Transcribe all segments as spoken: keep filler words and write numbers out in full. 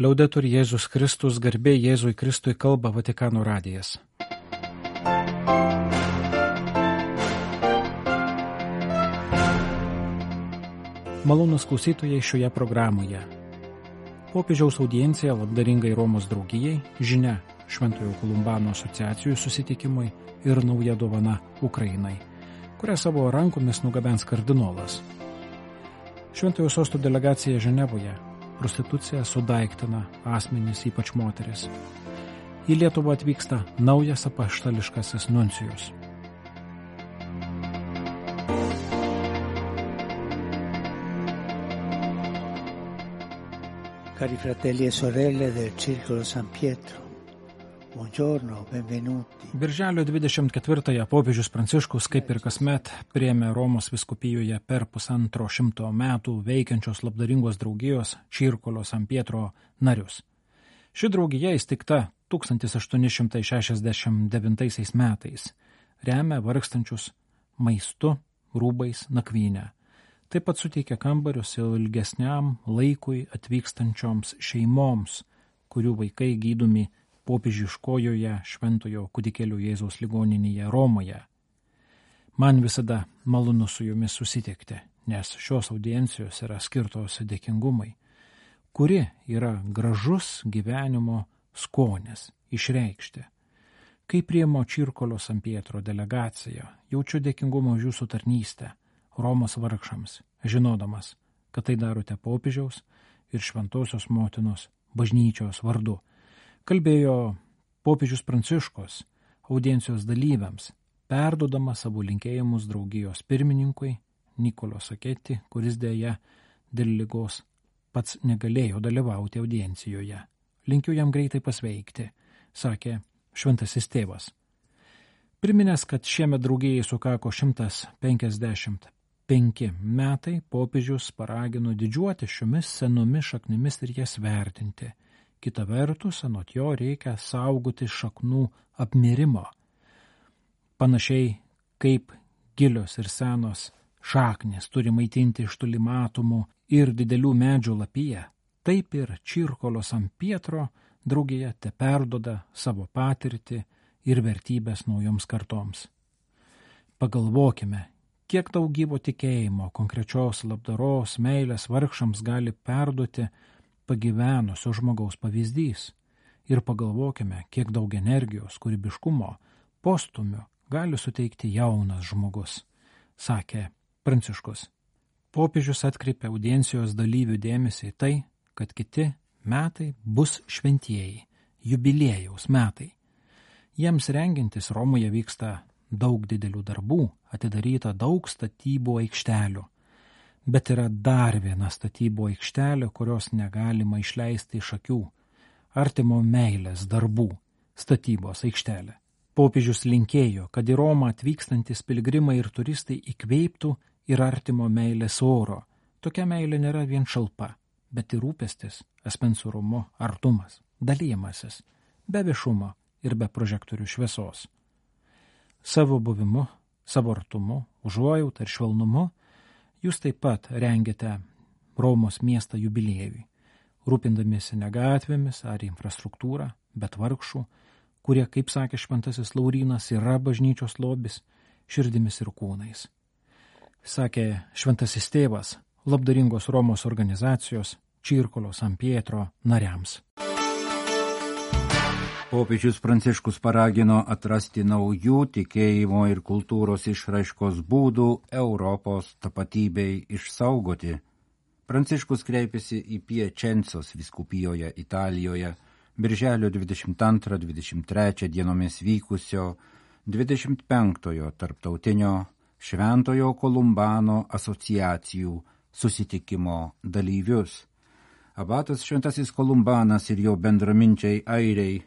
Liaudetur Jėzus Kristus, garbė Jėzui Kristui, kalba Vatikano radijas. Malonūs klausytojai šioje programoje. Popiežiaus audiencija labdaringai Romos draugijai, žinia Šventojo Kolumbano asociacijų susitikimui ir nauja dovana Ukrainai, kurią savo rankomis nugabens kardinolas. Šventojo sosto delegacija Ženevoje prostitucija sudaiktina asmenys, ypač moteris. Į Lietuvą atvyksta naujas apaštališkasis nuncijus. Cari fratelli e sorelle del Circolo San Pietro, buongiorno, benvenuti. Birželio dvidešimt ketvirtąją popiežius Pranciškus, kaip ir kasmet, priėmė Romos vyskupijoje per pusantro šimto metų veikiančios labdaringos draugijos Circolo San Pietro narius. Ši draugija įsteigta tūkstantis aštuoni šimtai šešiasdešimt devintaisiais metais, remia vargstančius maistu, rūbais, nakvynę. Taip pat suteikia kambarius ilgesniam laikui atvykstančioms šeimoms, kurių vaikai gydomi popiežiškojoje Šventojo kūdikėlio Jėzaus ligoninėje Romoje. Man visada malonu su jumis susitikti, nes šios audiencijos yra skirtos dėkingumai, kuri yra gražus gyvenimo skonis išreikšti. Kai priėmo Circolo San Pietro delegaciją, jaučiu dėkingumą už jūsų tarnystę Romos vargšams, žinodamas, kad tai darote popiežiaus ir Šventosios motinos bažnyčios vardu. Kalbėjo popiežius Pranciškus audiencijos dalyviams, perdodama savo linkėjimus draugijos pirmininkui Nikolo Saketi, kuris dėja dėl ligos pats negalėjo dalyvauti audiencijoje. Linkiu jam greitai pasveikti, sakė šventasis tėvas. Priminęs, kad šiemet draugijai sukako šimtas penkiasdešimt penki metai, popiežius paragino didžiuoti šiomis senomis šaknimis ir jas vertinti. Kita vertus, anot jo reikia saugoti šaknų apmirimo. Panašiai kaip gilios ir senos šaknys turi maitinti iš toli matomų ir didelių medžių lapiją, taip ir Circolo San Pietro draugija te perdoda savo patirtį ir vertybės naujoms kartoms. Pagalvokime, kiek daug gyvo tikėjimo, konkrečios labdaros, meilės vargšams gali perduoti pagyvenusio žmogaus pavyzdys. Ir pagalvokime, kiek daug energijos, kūrybiškumo, postumio gali suteikti jaunas žmogus, sakė Pranciškus. Popiežius atkreipė audiencijos dalyvių dėmesį į tai, kad kiti metai bus šventieji, jubiliejaus metai. Jiems rengintis Romoje vyksta daug didelių darbų, atidaryta daug statybų aikštelių. Bet yra dar viena statybų aikštelė, kurios negalima išleisti iš akių – artimo meilės darbų statybos aikštelė. Popiežius linkėjo, kad į Romą atvykstantis piligrimai ir turistai įkveiptų ir artimo meilės oro. Tokia meilė nėra vien šalpa, bet ir rūpestis, asmens orumu, artumas, dalymasis, be viešumo ir be prožektorių šviesos. Savo buvimu, savo artumu, užuojautą ir švelnumu jūs taip pat rengiate Romos miestą jubiliejui, rūpindamiesi ne gatvėmis ar infrastruktūrą, bet vargšų, kurie, kaip sakė šventasis Laurynas, yra bažnyčios lobis, širdimis ir kūnais. Sakė šventasis tėvas labdaringos Romos organizacijos Circolo San Pietro nariams. Popiežius Pranciškus paragino atrasti naujų tikėjimo ir kultūros išraiškos būdų Europos tapatybei išsaugoti. Pranciškus kreipėsi į Piačencos vyskupijoje Italijoje birželio dvidešimt antrą dvidešimt trečią dienomis vykusio dvidešimt penktojo tarptautinio Šventojo Kolumbano asociacijų susitikimo dalyvius. Abatas Šventasis Kolumbanas ir jo bendraminčiai airiai,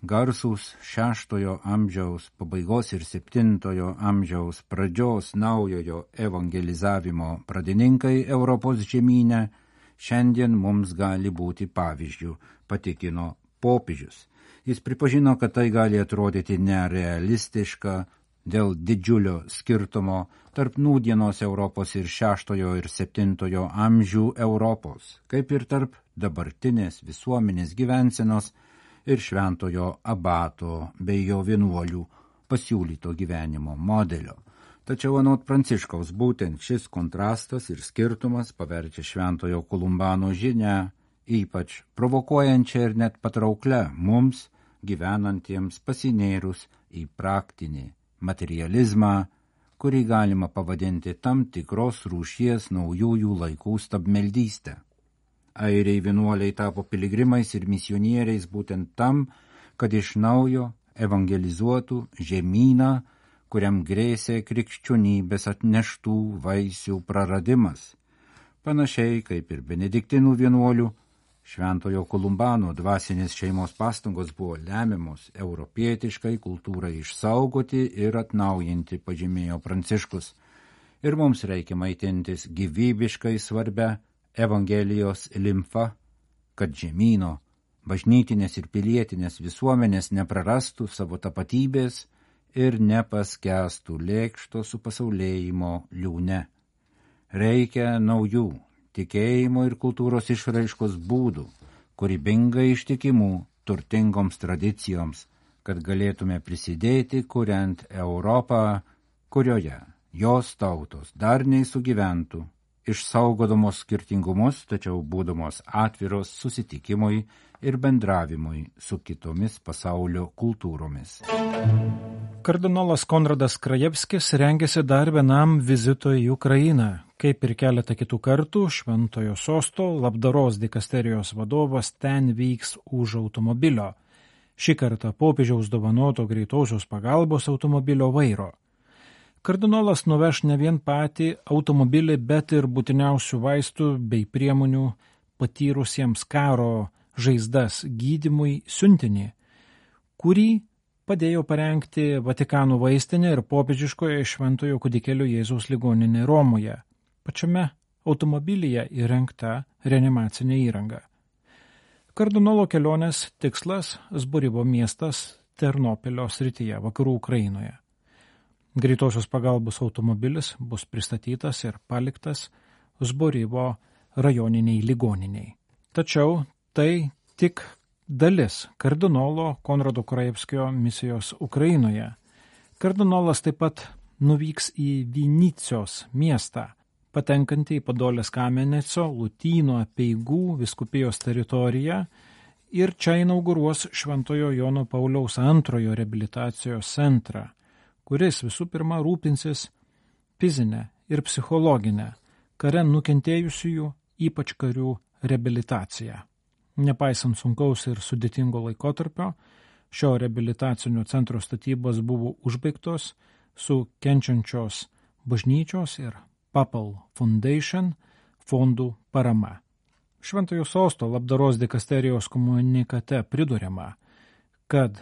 garsūs šeštojo amžiaus pabaigos ir septintojo amžiaus pradžios naujojo evangelizavimo pradininkai Europos žemyne, šiandien mums gali būti pavyzdžių, patikino popiežius. Jis pripažino, kad tai gali atrodyti nerealistiška, dėl didžiulio skirtumo tarp nūdienos Europos ir šeštojo ir septintojo amžių Europos, kaip ir tarp dabartinės visuomenės gyvensenos ir šventojo abato bei jo vienuolių pasiūlyto gyvenimo modelio. Tačiau anot Pranciškaus būtent šis kontrastas ir skirtumas paverčia šventojo Kolumbano žinią ypač provokuojančia ir net patrauklia mums gyvenantiems pasinėrus į praktinį materializmą, kurį galima pavadinti tam tikros rūšies naujųjų laikų stabmeldystę. Airiai vienuoliai tapo piligrimais ir misionieriais būtent tam, kad iš naujo evangelizuotų žemyną, kuriam grėsė krikščionybės atneštų vaisių praradimas. Panašiai kaip ir benediktinų vienuolių, šventojo Kolumbano dvasinės šeimos pastangos buvo lemiamos europietiškai kultūrai išsaugoti ir atnaujinti, pažymėjo Pranciškus. Ir mums reikia maitintis gyvybiškai svarbia Evangelijos limfa, kad žemyno, bažnytinės ir pilietinės visuomenės neprarastų savo tapatybės ir nepaskęstų lėkšto supasaulėjimo liūne. Reikia naujų tikėjimo ir kultūros išraiškos būdų, kūrybingai ištikimų turtingoms tradicijoms, kad galėtume prisidėti, kuriant Europą, kurioje jos tautos darniai sugyventų, išsaugodamos skirtingumus, tačiau būdamos atviros susitikimui ir bendravimui su kitomis pasaulio kultūromis. Kardinolas Konradas Krajevskis rengėsi dar vienam vizitui į Ukrainą. Kaip ir keletą kitų kartų, Šventojo Sosto labdaros dikasterijos vadovas ten vyks už automobilio. Šį kartą popiežiaus dovanoto greitosios pagalbos automobilio vairo. Kardinolas nuveš ne vien patį automobilį, bet ir būtiniausių vaistų bei priemonių patyrusiems karo žaizdas gydymui siuntinį, kurį padėjo parengti Vatikano vaistinė ir popiežiškoje Šventojo kūdikėlio Jėzaus ligoninė Romoje. Pačiame automobilyje įrengta reanimacinė įranga. Kardinolo kelionės tikslas – Zborivo miestas Ternopilio srityje, vakarų Ukrainoje. Greitosios pagalbos automobilis bus pristatytas ir paliktas Zborivo rajoniniai ligoniniai. Tačiau tai tik dalis kardinolo Konrado Krajevskio misijos Ukrainoje. Kardinolas taip pat nuvyks į Vinycios miestą, patenkantį į Podolės Kameneco Lotynų apeigų vyskupijos teritoriją, ir čia inauguruos Šventojo Jono Pauliaus antrojo reabilitacijos centrą, kuris visų pirma rūpinsis fizinę ir psichologinę kare nukentėjusiųjų, ypač karių, reabilitaciją. Nepaisant sunkaus ir sudėtingo laikotarpio, šio reabilitacinio centro statybos buvo užbaigtos su kenčiančios bažnyčios ir Papal Foundation fondų parama. Šventojo Sosto labdaros dikasterijos komunikate priduriama, kad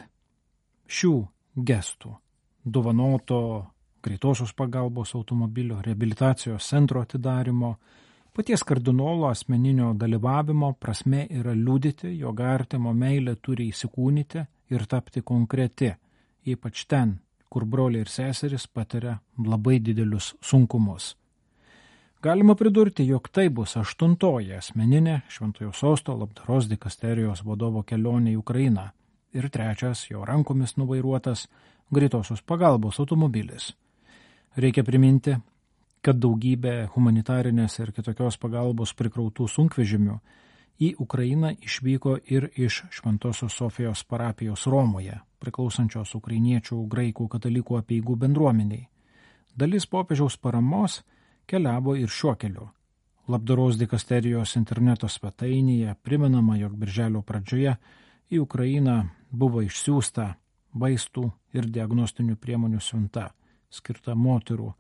šių gestų dovanoto greitosios pagalbos automobilio reabilitacijos centro atidarimo, paties kardinolo asmeninio dalyvavimo prasme yra liudyti, jog artimo meilė turi įsikūnyti ir tapti konkreti, ypač ten, kur broliai ir seserys patiria labai didelius sunkumus. Galima pridurti, jog tai bus aštuntoji asmeninė Šventojo Sosto labdaros dikasterijos vadovo kelionė į Ukrainą ir trečias jo rankomis nuvairuotas greitosios pagalbos automobilis. Reikia priminti, kad daugybė humanitarinės ir kitokios pagalbos prikrautų sunkvežimių į Ukrainą išvyko ir iš Šventosios Sofijos parapijos Romoje, priklausančios ukrainiečių graikų katalikų apeigų bendruomeniai. Dalis popiežiaus paramos keliavo ir šiuo keliu. Labdaros dikasterijos interneto svetainėje primenama, jog birželio pradžioje į Ukrainą buvo išsiųsta vaistų ir diagnostinių priemonių siunta, skirta moterų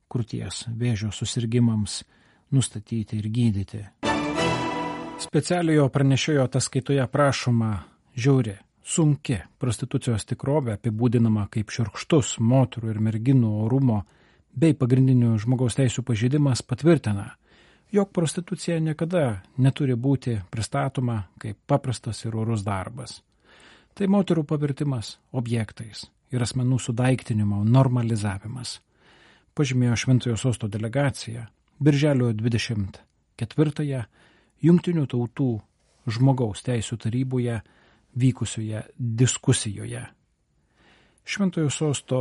krūties vėžio susirgimams nustatyti ir gydyti. Specialiojo pranešėjo ataskaitoje prašoma žiauri, sunki prostitucijos tikrovė, apibūdinama kaip šiurkštus moterų ir merginų orumo bei pagrindinių žmogaus teisių pažeidimas, patvirtina, jog prostitucija niekada neturi būti pristatoma kaip paprastas ir orus darbas. Tai moterų pavirtimas objektais ir asmenų sudaiktinimo normalizavimas, pažymėjo Šventojo Sosto delegacija birželio dvidešimt ketvirtąją Jungtinių tautų žmogaus teisių taryboje vykusioje diskusijoje. Šventojo Sosto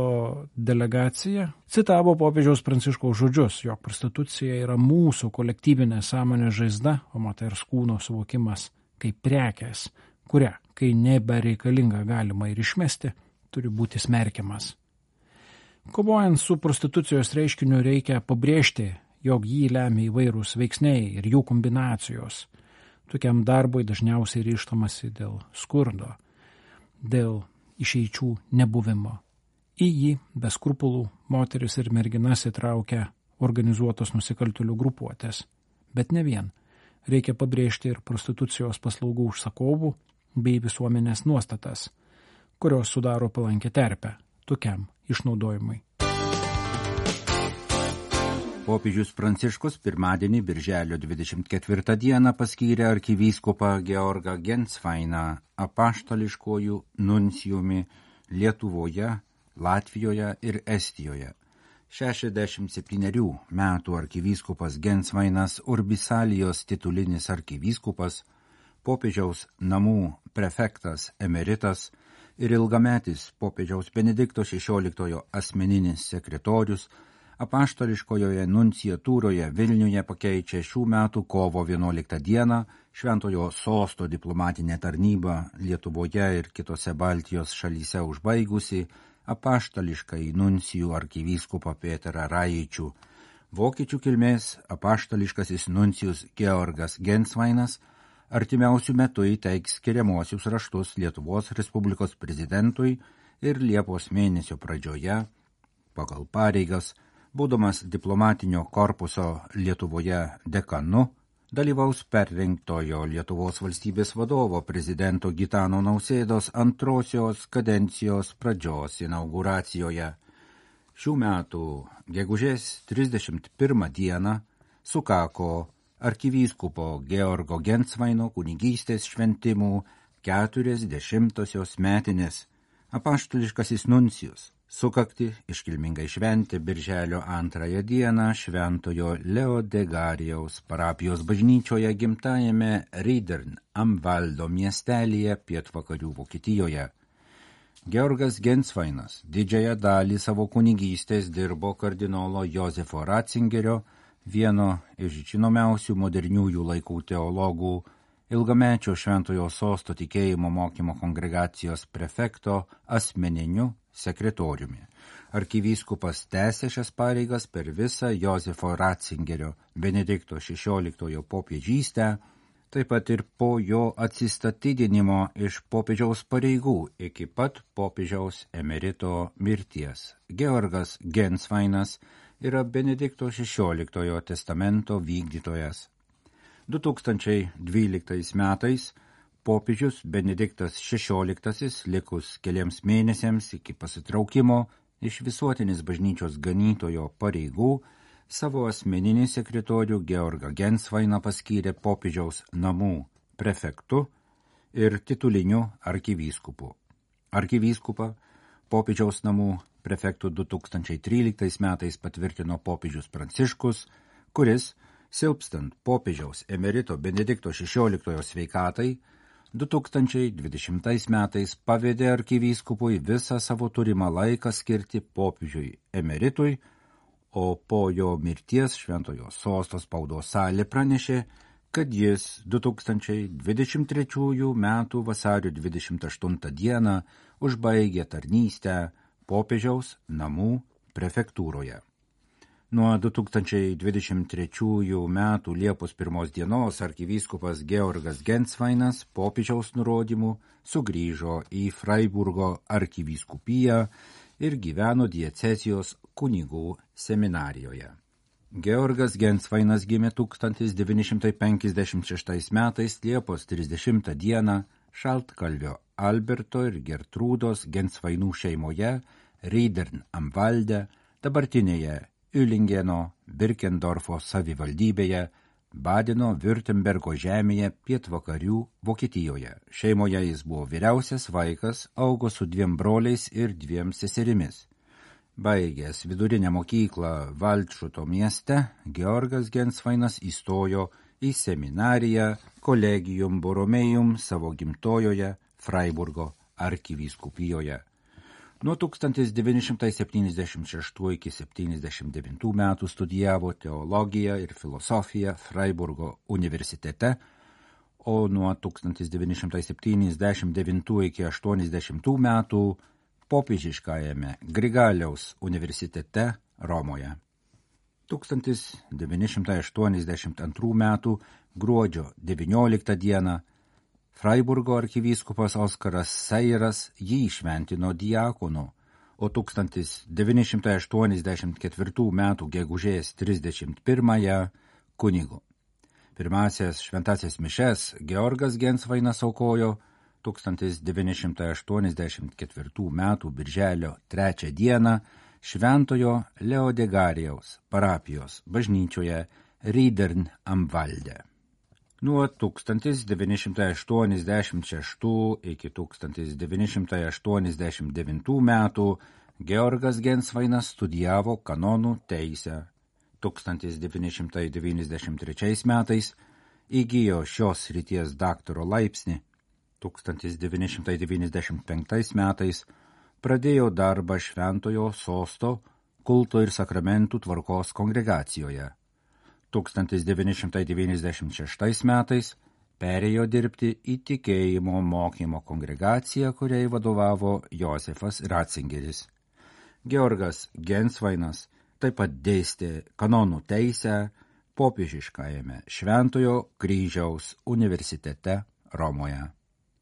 delegacija citavo popiežiaus Pranciškaus žodžius, jog prostitucija yra mūsų kolektyvinė sąmonės žaizda, o moters kūno suvokimas kaip prekės, kurią, kai nebereikalinga galima ir išmesti, turi būti smerkiamas. Kovojant su prostitucijos reiškiniu reikia pabrėžti, jog jį lemia įvairūs veiksniai ir jų kombinacijos. Tokiam darbui dažniausiai ryžtamasi dėl skurdo, dėl išeičių nebuvimo. Į jį be skrupulų moteris ir merginas įtraukia organizuotos nusikaltėlių grupuotės. Bet ne vien. Reikia pabrėžti ir prostitucijos paslaugų užsakovų bei visuomenės nuostatas, kurios sudaro palankę terpę tokiam išnaudojimui. Popiežius Pranciškus pirmadienį birželio dvidešimt ketvirtą dieną paskyrė arkivyskupą Georgą Gensvainą apaštališkojų nuncijumi Lietuvoje, Latvijoje ir Estijoje. šešiasdešimt septynerių metų arkivyskupas Gensvainas Urbisalijos titulinis arkivyskupas, popiežiaus namų prefektas emeritas ir ilgametis popiežiaus Benedikto šešioliktojo asmeninis sekretorius apaštališkojoje nunciatūroje Vilniuje pakeičia šių metų kovo vienuoliktą dieną Šventojo Sosto diplomatinę tarnybą Lietuvoje ir kitose Baltijos šalyse užbaigusi apaštališkai nuncijų arkivyskupą Peterą Raičių. Vokiečių kilmės apaštališkasis nuncijus Georgas Gensvainas artimiausių metų įteiks skiriamuosius raštus Lietuvos Respublikos prezidentui ir Liepos mėnesio pradžioje, pagal pareigas, būdamas diplomatinio korpuso Lietuvoje dekanu, dalyvaus perrinktojo Lietuvos valstybės vadovo prezidento Gitano Nausėdos antrosios kadencijos pradžios inauguracijoje. Šių metų gegužės trisdešimt pirmą dieną sukako arkivyskupo Georgo Gensvaino kunigystės šventimų keturiasdešimtosios metinės. Apaštališkasis nuncijus sukakti iškilmingai šventė birželio antrąją dieną Šventojo Leo Degarijaus parapijos bažnyčioje gimtajame Riedern am Waldo miestelyje pietvakarių Vokietijoje. Georgas Gensvainas didžiąją dalį savo kunigystės dirbo kardinolo Jozefo Ratzingerio, vieno iš žinomiausių moderniųjų laikų teologų, ilgamečio Šventojo Sosto tikėjimo mokymo kongregacijos prefekto asmeniniu sekretoriumi. Arkivyskupas tęsė šias pareigas per visą Jozefo Ratzingerio Benedikto šešioliktojo popiežystę, taip pat ir po jo atsistatydinimo iš popiežiaus pareigų iki pat popiežiaus emerito mirties. Georgas Gensvainas yra Benedikto šešioliktojo testamento vykdytojas. du tūkstančiai dvyliktais metais popiežius Benediktas šešioliktasis likus keliems mėnesiams iki pasitraukimo iš visuotinės bažnyčios ganytojo pareigų savo asmeninį sekretorių Georgą Gensvainą paskyrė popiežiaus namų prefektu ir tituliniu arkivyskupu. Arkivyskupą popiežiaus namų prefektų du tūkstančiai tryliktais metais patvirtino popiežius Pranciškus, kuris, silpstant popiežiaus emerito Benedikto šešioliktojo sveikatai, du tūkstančiai dvidešimtais metais pavedė arkivyskupui visą savo turimą laiką skirti popiežiui emeritui, o po jo mirties Šventojo Sosto spaudos salė pranešė, kad jis du tūkstančiai dvidešimt trečiųjų metų vasario dvidešimt aštuntą dieną užbaigė tarnystę popiežiaus namų prefektūroje. Nuo du tūkstančiai dvidešimt trečiųjų metų Liepos pirmos dienos arkivyskupas Georgas Gensvainas popiežiaus nurodymų sugrįžo į Freiburgo arkivyskupiją ir gyveno diecezijos kunigų seminarijoje. Georgas Gensvainas gimė tūkstantis devyni šimtai penkiasdešimt šeštais metais Liepos trisdešimtą dieną Šaltkalvio Alberto ir Gertrūdos Gensvainų šeimoje Riedern am Walde, dabartinėje Ülingeno Birkendorfo savivaldybėje Badeno-Württembergo žemėje pietvakarių Vokietijoje. Šeimoje jis buvo vyriausias vaikas, augo su dviem broliais ir dviem seserimis. Baigęs vidurinę mokyklą Valdšuto mieste, Georgas Gensvainas įstojo į seminariją Collegium Borromeum savo gimtojoje Freiburgo arkivyskupijoje. Nuo tūkstantis devyni šimtai septyniasdešimt šeštų iki septyniasdešimt devintų metų studijavo teologiją ir filosofiją Freiburgo universitete, o nuo tūkstantis devyni šimtai septyniasdešimt devintų iki aštuoniasdešimtų metų popiežiškajame Grigaliaus universitete Romoje. tūkstantis devyni šimtai aštuoniasdešimt antrų metų gruodžio devynioliktą dieną Freiburgo arkivyskupas Oskaras Seiras jį išventino diakonu, o tūkstantis devyni šimtai aštuoniasdešimt ketvirtų metų gegužės trisdešimt pirmąją kunigu. Pirmasias šventasias mišes Georgas Gensvainas aukojo tūkstantis devyni šimtai aštuoniasdešimt ketvirtų metų birželio trečią dieną Šventojo Leodegarijaus parapijos bažnyčioje Riedern am Walde. Nuo tūkstantis devyni šimtai aštuoniasdešimt šeštų iki tūkstantis devyni šimtai aštuoniasdešimt devintų metų Georgas Gensvainas studijavo kanonų teisę. tūkstantis devyni šimtai devyniasdešimt trečiais metais įgijo šios srities daktaro laipsnį. tūkstantis devyni šimtai devyniasdešimt penktais metais pradėjo darbą Šventojo Sosto kulto ir sakramentų tvarkos kongregacijoje. tūkstantis devyni šimtai devyniasdešimt šeštais metais perėjo dirbti į tikėjimo mokymo kongregaciją, kuriai vadovavo Josefas Ratzingeris. Georgas Gensvainas taip pat dėstė kanonų teisę popiežiškajame Šventojo Kryžiaus universitete Romoje.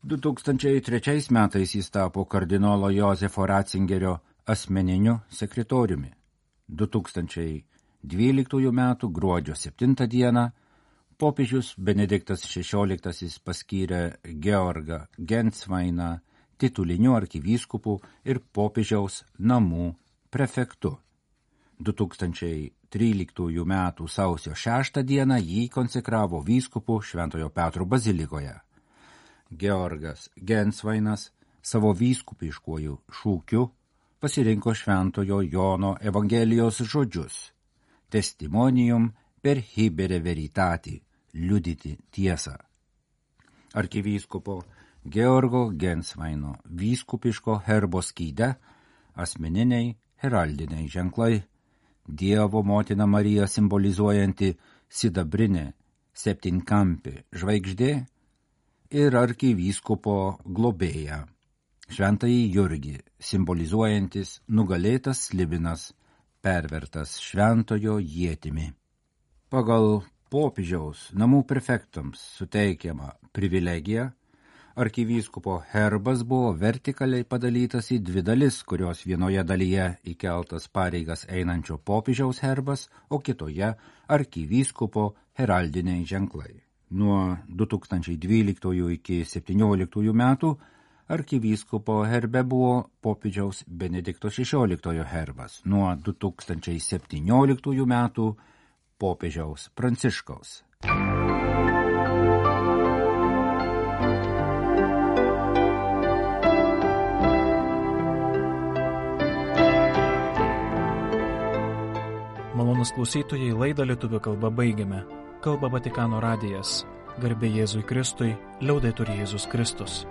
du tūkstančiai trečiais metais jis tapo kardinolo Josefo Ratzingerio asmeniniu sekretoriumi. du tūkstančiai dvyliktųjų metų gruodžio septintą dieną popiežius Benediktas šešioliktasis paskyrė Georgą Gensvainą tituliniu arkivyskupu ir popiežiaus namų prefektu. du tūkstančiai tryliktųjų metų sausio šeštą dieną jį konsekravo vyskupu Šventojo Petro bazilikoje. Georgas Gensvainas savo vyskupiškuoju šūkiu pasirinko Šventojo Jono Evangelijos žodžius testimonium per hibere veritati, liudyti tiesą. Arkivyskupo Georgo Gensvaino vyskupiško herbo skyde asmeniniai heraldiniai ženklai, Dievo motina Marija simbolizuojanti sidabrinė septynkampė žvaigždė ir arkivyskupo globėja, šventąjį Jurgį, simbolizuojantis nugalėtas slibinas, pervertas šventojo ietimi. Pagal popiežiaus namų prefektams suteikiamą privilegiją, arkivyskupo herbas buvo vertikaliai padalytas į dvi dalis, kurios vienoje dalyje įkeltas pareigas einančio popiežiaus herbas, o kitoje arkivyskupo heraldiniai ženklai. Nuo du tūkstančiai dvyliktųjų iki septynioliktųjų metų arkivyskupo herbe buvo popiežiaus Benedikto šešioliktojo herbas, nuo du tūkstančiai septynioliktųjų metų popiežiaus Pranciškaus. Malonūs klausytojai, laidą lietuvių kalba baigiame. Kalba Vatikano radijas. Garbė Jėzui Kristui, liaudetur Jėzus Kristus.